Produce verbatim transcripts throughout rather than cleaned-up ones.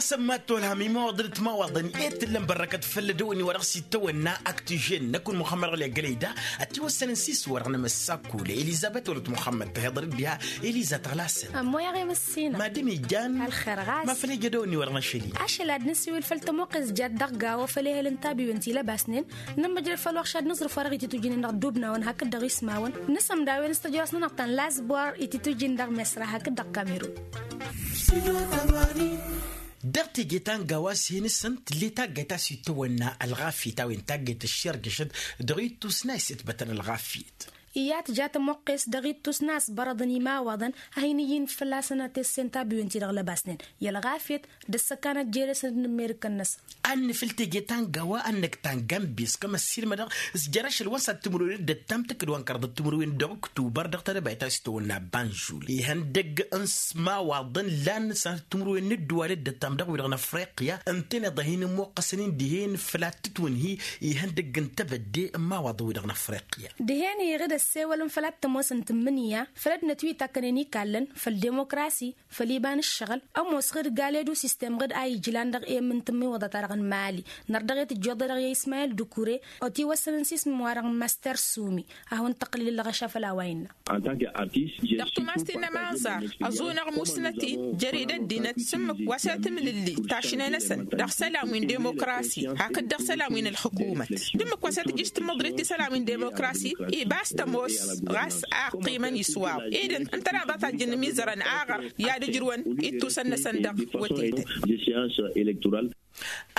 Sămmat tolham imawaḍăn d-timawaḍăn i-tǝllăm bărrăkăt făll-ădăwănni wa dăɣ-s itawănna aktižen n-akun muxămmăd ɣǝlya gălăyda. Ătiwăssănăn s-iswărɣ n-amăssakul elizăbet wăla t-muxămmăd tăhiḍăr d-diha eliza tăɣlasăn. Ămmoyaɣ i-măssină. Madǝm ijan. Ălxer ɣas ma făl ija ădăwănni wa dăɣ-năšăli. Ašăl ad-nǝsiwǝl făll-tămoqqes jat dăɣ-gawa făll-ehăl n-tabiwen ti lăbasnen. Nǝmmǝjrăd făll-wăɣš ad-nǝẓrǝf wa dăɣ-ititujǝnen dăɣ-dubnawăn hakd dăɣ-ismawăn. Nǝsǝmdawăn s-tăjrăwăsnănăɣ ta n-lasbor ititujǝn dăɣ-mesra hakd dăɣ-kamerun. Dăɣ-teje ta n-gawa s-hin-săn tǝlle taggayt a-s itawănna ălɣafyăt a-wen taggayt ăššerjăšăt dăɣ-ittus n-a isǝtbătăn ălɣafyăt. Iyyăt ja tămoqqes dăɣ-ittus n-a-s bărăḍăn imawaḍăn a hin-ǝyyǝn fălla-săn ad-t-essen tabiwen-ti-dăɣ lăbasnen i-ălɣafyăt d-ăssăkanăt jere-săn d-inǝmmerǝkăn-năsăn. Ad-nǝfǝl teje ta n-gawa ad-năkk ta n-gambes kămăssilmădăɣ s-jer-ašăl wa n-sănat timǝrwen d-ăttam tǝkkǝd wa n-kărăḍăt timǝrwen dăɣ-oktubar dăɣ-tadăbayt a-s tawănna banžul ihăndăgg n-s imawaḍăn lan sănat timǝrwen n-ǝddǝwal d-ăttam dăɣ-wi-dăɣ n-afriqya ǝntăneḍ a hin-ămmuqqăsăn-in dihen făl ad-tǝtwǝnhi ihăndăgg n-tebădde n-imawaḍăn-wi-dăɣ n-afriqya. Dihen iɣǝd ăssewălăn făll-ad-tămoosăn tǝmmǝnǝya făll-ăddinăt wi takkănen ikallăn făll-dimokrasi făll-iba n-ǝššăɣǝl. Ămoos ɣǝd gale d-usistem ɣǝd a ijlan dăɣ-e-m n-tǝmmiwăḍa-ta-dăɣ n-mali nărdăɣ-e tǝjjoḍ-e dăɣ-i ismayil d-ukure. Otiwăssăn n-sismǝm-wa-dăɣ n-master sumi. Ad-hawăn-tăqqǝlǝl ǝllăɣăša făll-a-wa innă. Dăɣ-tumas ti n-ămaẓar ăẓunăɣ musnăt-in jer-dd ăddinăt s-ǝmmǝk wa s-e-tǝmlǝlli tašne-năsăn dăɣ-isălan wi n-dimokrasi hakd dăɣ-isălan wi n-ǝlxǝkumăt d-ǝmmǝk wa s-e-tǝjjǝš tǝmmǝḍrit isălan wi n-dimokrasi. Iba a-s tămoos ɣas a ăqqimăn iswaw ed ǝntăneḍ a tajjăn imizărăn aɣăr i-ad-ǝjrǝwăn ittusăn-năsăn dăɣ-wătetăn.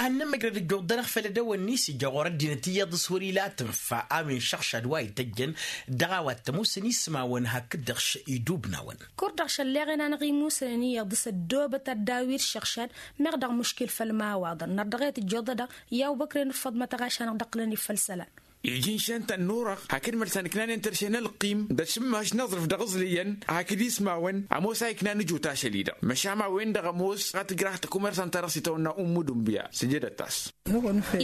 Ad-nămmăjrăd ǝjjuḍ-dăɣ făll-edăwănni s-ija ɣur-ăddinăt iyyăḍ s-wăr-ila tǝnfa a-wen šăɣšad wa ităjjăn dăɣ-a-wa t-ămoosăn ismawăn hakd-dăɣ idubnawăn. Kur-dăɣ šălleɣen-anăɣ imusănen iyyăḍ s-ăddoobăt ad-daw-dd šăɣšad meɣ dăɣ-muškil făll-imawaḍăn nărdăɣ-e tǝjjoḍăd-dăɣ i-awbăkren d-făḍmăt ăɣaš-anăɣ d-ăqqǝlăn i-făll-isălan. Iji n-išăn tănnurăɣ hakd mălsan ǝknanen tărše n-ălqim d-ašǝmmaš n-aẓrǝf dăɣ-iẓlǝyăn hakd ismawăn ămoos a ikna n-ǝjut ašăl-i-dăɣ măšan a-wen-dăɣ ămoos a tǝjraht takumersant-ta-dăɣ s-itawănna ummu dunbiya. Sǝjădăt-as.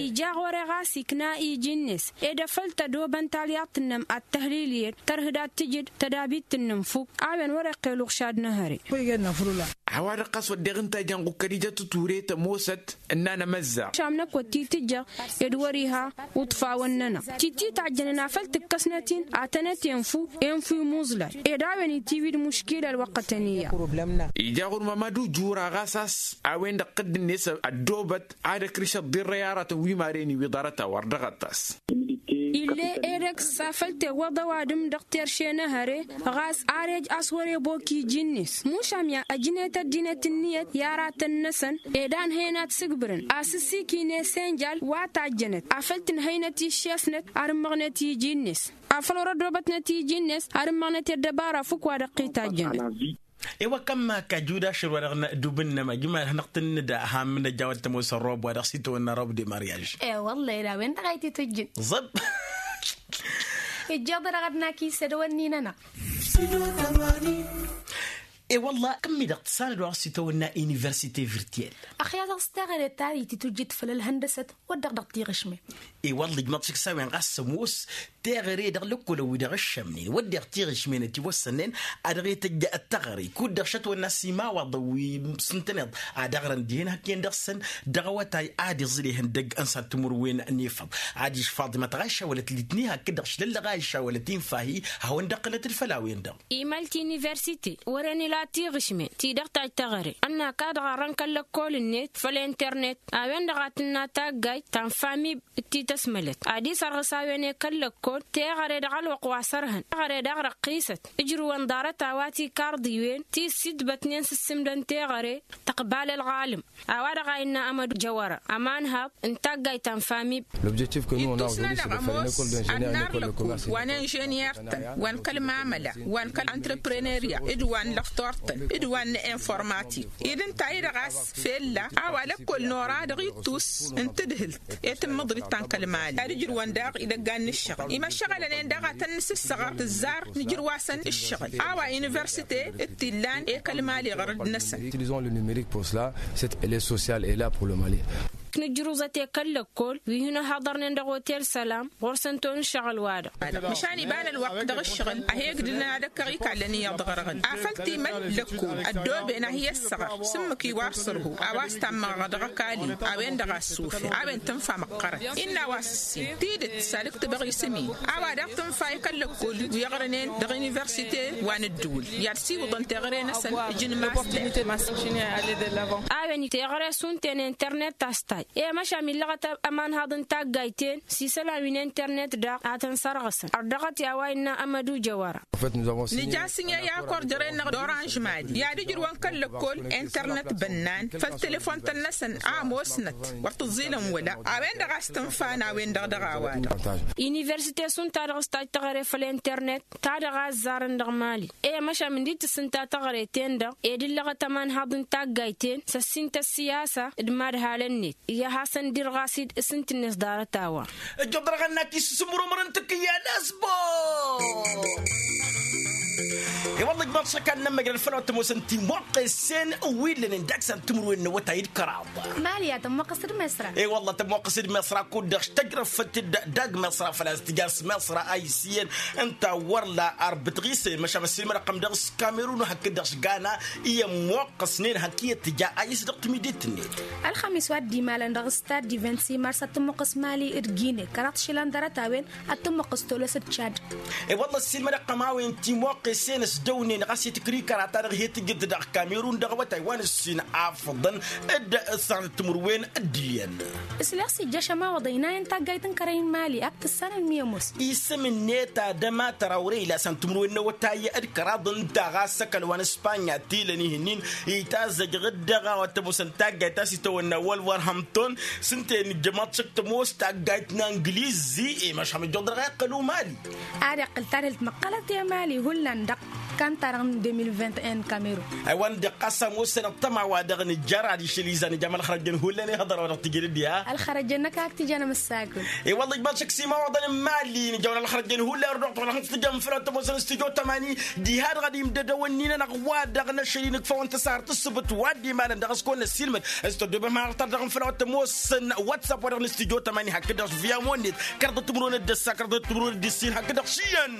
Ija ɣur-e ɣas ikna iji-net ed afăl tădobăn talyaḍt-năm ad-tăhlilǝyăd tărhǝd ad-tǝjǝd tădabit-năm fukk. A-wen wăr-iqqel uɣšad n-ehăre. A-wa-dăɣ ɣas wădden ǝnta ijan ɣukkăd ija tǝture tămoosăt ǝnnan amăzza. Šam năkk wăr t-tǝjjăɣ ed wăr-iha uṭfawăn-nănăɣ titti tajjănen afăl tǝkkăsnăt-in ad-tănăt-enfu enfu imuẓlal ed a-wen itiwǝy d-muškila ălwăqqătăn iyyăḍ. Ija ɣur-mama d-ujura ɣas a-s a-wen-dăɣ tădd-net ăddoobăt ad-ăkrǝš ăḍḍirrăy aratăn wi maren iwǝḍarăt a-wa-dăɣ ăṭṭas. Ill'-e edăgg s-afăl tewwăḍ ăwadǝm dăɣ-terše n-ehăre ɣas ar ej a-s wăr-ebok iji-net mušam ya ăjnet ăddinăt ǝnniyăt i-aratăn-năsăn ed a ǝnhăyăn ad-sǝgbǝrăn asǝsik-in esenjal wa tajjănăt afăl tǝnhăynăt iššesnăt ad-ǝmmăɣnet iji-net afăl wăr-ădobătnăt iji-net ad-ǝmmăɣnet i-ăddăbara fukk wa dăɣ-t-tajjănăt. Ewăkăm kăjuda šăr wa dăɣ-nădub ǝnnăm ajǝma ad-hanăɣ-tǝnnǝd a ham n-ăjawăt tămoos ărrob wa dăɣ-s itawănna rob de mariaž. E-wălla ed a-wen-dăɣ a ititǝjjǝn ẓăb. Ijjeḍ-dăɣ ad-nakis edăwănni-nănăɣ. E-wălla kǝmmi-dăɣ tǝssanăd wa dăɣ-s itawănna universite virtiel. Ăxya dăɣ-s teɣăre ta ititǝjjǝt făll-ălhăndăsăt wăr dăɣ-dăɣ tiɣǝšme. E-wălla ijmăḍ šik s-a-wen ɣas ămoos teɣăre dăɣ-lăkkol ăwwi-dăɣ ǝššămnen wădden tiɣǝšmen ătiwăssănnen a dăɣ-e tăjja ăttăɣăre kud-dăɣ šătwănna s-imawaḍăn wi s-ǝntăneḍ ad-ăɣrăn dihen hak-en dăɣ-săn. Dăɣ-awătay ad-iẓǝl ihăndăgg n-săr timǝrwen n-efăḍ ad-išfaḍ imătăɣ a išawălăt litni hakd-dăɣ šlăllăɣ a išawălăt infahi. Hawăn-dd-ăqqǝlăt d-făll-a-wen-dăɣ. Imalt universite wăren ila tiɣǝšmen ti dăɣ-tajj teɣăre ănn-ak a dăɣ-arrăn kăl-lăkkol-net făll-internet a-wen-dăɣ a tǝnna taggayt ta n-famib d-tităsmălăt ad-isărɣǝs a-wen i-kăl-lăkkol teɣăre dăɣ-ălwăqq wa s-ărhăn teɣăre daɣ răqqisăt. Ǝjrǝwăn ḍarăt a-wa tikarḍiwen ti ǝssitbătnen s-ǝssǝmdăn teɣăre tăqbal ălɣalăm. A-wa-dăɣ a innă amădu jăwăra ămanhaḍ n-taggayt ta n-famib. Ittus-nănăɣ ămoos ad-narlăkul wa n-inženyer-tăn wa n-kăl-mamăla wa n-kăl-antrăprenerya d-wa n-lăxtor-tăn d-wa n-informatik ed ǝnta-i-dăɣ a-s fella a-wa lăkkol n-ora dăɣ-ittus n-tǝdhǝlt i-tǝmmǝḍrit ta n-kăl-mali ad-ǝjrǝwăn daɣ idăggan n-ǝššăɣǝl imăššăɣălăn-en daɣ ad-tăn-nǝsǝssăɣăr tǝzzar nǝjrǝw-asăn ǝššăɣǝl a-wa universite d-t-illan i-kăl-mali ɣărăd-năsăn. Utilisons le numerique pour cela. Cette aile sociale est là pour le mali. Nǝjrǝwẓăt i-kăl-lăkkol wi hin-ăhhăḍărnen dăɣ-otel sălam ɣur-săn ton ǝššăɣǝl-wa-dăɣ. Măšan iba n-ălwăqq dăɣ-ǝššăɣǝl a he-ǝgdǝlăn ad-ăkkăɣ ikallăn iyyăḍ ɣărăɣăn afăl timăl lăkkol ăddooben a hi-ăssăɣăr s-ǝmmǝk iwar sărhu a-wa s-tammăɣăɣ dăɣ-ăkall-in. A-wen-dăɣ a ăssufeɣ a-wen tǝnfa măqqărăn innă a-wa s-ǝssin tidǝt s-ad-ǝktǝbăɣ isǝm-in. A-wa daɣ tǝnfa i-kăl-lăkkol wi ăɣrănen dăɣ-universite wa n-ǝddǝwǝl i-ad-siwǝḍăn teɣăre-năsăn. Ǝjǝnmastăn. A-wen teɣăre šund-ten internet ta s-taj i-măšan illăɣăt ămanhaḍ n-taggayt-en s-isălan wi n-internet daɣ a tăn-sărɣǝsăn ărdăɣăt i-a-wa innă ămădujăwăra. Nǝja s-ǝnhăy akor jăre-năɣ d-oranž mali i-ad-ǝjrǝwăn kăl-lăkkol internet bănnan făll-telefon-tăn-năsăn a ămoosnăt wăr t-ǝẓẓilăn wăla. A-wen-dăɣ a s-tǝnfa n-a-wen-dăɣ dăɣ-a-wa-dăɣ. Universite šund ta dăɣ-s taj teɣăre făll-internet ta dăɣ-a ăzzarăn dăɣ-mali. I-măšan ǝndi tǝssǝnta teɣăre-ten-dăɣ ed ǝllăɣăt ămanhaḍ n-taggayt-en s-ăssin tăssiyasa d-imadhalăn-net. Iyyăh a-s ăndirɣas-dd s-ǝnta-net ḍarăt a-wa. Ǝjjăḍ dăɣ-ănn a t-issǝsǝmrǝmrǝn tǝkkǝyya n-asbor. I-wălla ijmaḍ šăkkan n-ămmăjrăd făll-a-wa t-ămoosăn timuqqesen wi ǝllănen dăɣ-san timǝrwen n-awătay d-kăraḍ. Mali a tămmuqqăs d-miṣra. I-wălla tămmuqqăs d-miṣra kud-dăɣ s-tăjrăfăt-dd dăɣ-miṣra făl-a-s tǝja s-miṣra a isǝyyăn. Ǝnta wăr la arbǝt ɣise măšan ăssiilmăd-ăqqăm dăɣ-s kamerun hakd-dăɣ s-gana. I-ămmuqqăsnen hak iyyăt tǝja a isǝdăɣ timidet-net. Ălxămis wa dd-imalăn dăɣ-s tad-divent s-imars ad-tămmuqqăs mali d-gine kăraḍ išilan ḍarăt-a-wen ad-tămmuqqăs tolos d-cad. I-wălla ăssiilmăd-ăqqăm a-wen timuqqesen s-dăwnen ɣas i-tǝkrikăra ta dăɣ-hi-tǝjǝd dăɣ-kamerun dăɣ-awătay wa n-ǝssin afǝḍăn d-săɣ n-timǝrwen d-iyyăn. Ǝsleɣ s-ijjăš ămawăḍăy n-a-wen taggayt n-kărăy n-mali ak tǝssanăn mi ămoos. Isǝm-net ad-ămatăr awrey la săn timǝrwen n-awătay d-kăraḍ ǝnta ɣas ăkall wa n-ǝspanya tilăn ihǝnnin itazăjăɣ-dd dăɣ-a-wa t-ămoosăn taggayt ta s-itawănna wălwărhămton. S-ǝnta i-nǝjjămăḍ šăk tămoos taggayt n-anglizi i-măšham ǝjjuḍ dăɣ-a iqqăl umali. Ad-iqqǝl tadhǝlt măqqălăt i-mali hullan dăɣ-kan-ta-dăɣ n-de mille vingt et un n-kamerun. Aywa n-dăɣ ɣas ămoosăn ăṭṭăma wa dăɣ-nǝjjăr ad-išǝl izan ija ma ălxărăjăn hullan ihăḍăr wa dăɣ-tǝjǝd dd-iha. Ălxărăjăn-năk a ag t-ijan amǝssagǝl. I-wălla ijmaḍ šăkk s-imawăḍăn n-mali nǝjăwăn ălxărăjăn hullan ărduɣ-t wăla hăn-t-tǝjăm făll-a-wa t-ămoosăn s-tijo tămani. Diha-dăɣ ad-imdădăwăn-in-anăɣ wa dăɣ-năšăl-in ǝkfawăn tăsarăt s-sǝbǝt wa dd-imanăn dăɣ-s kăwăn-năssiilmăd s-tăddoobem hanăɣ-tar-dăɣ n-făll-a-wa t-ămoosăn whatsapp wa dăɣ-nǝstijo tămani hakd-dăɣ s-viya monnet. Kăraḍăt timǝrwen d-ăssa kăraḍăt timǝrwen d-ǝssin hakd-dăɣ s-iyyăn.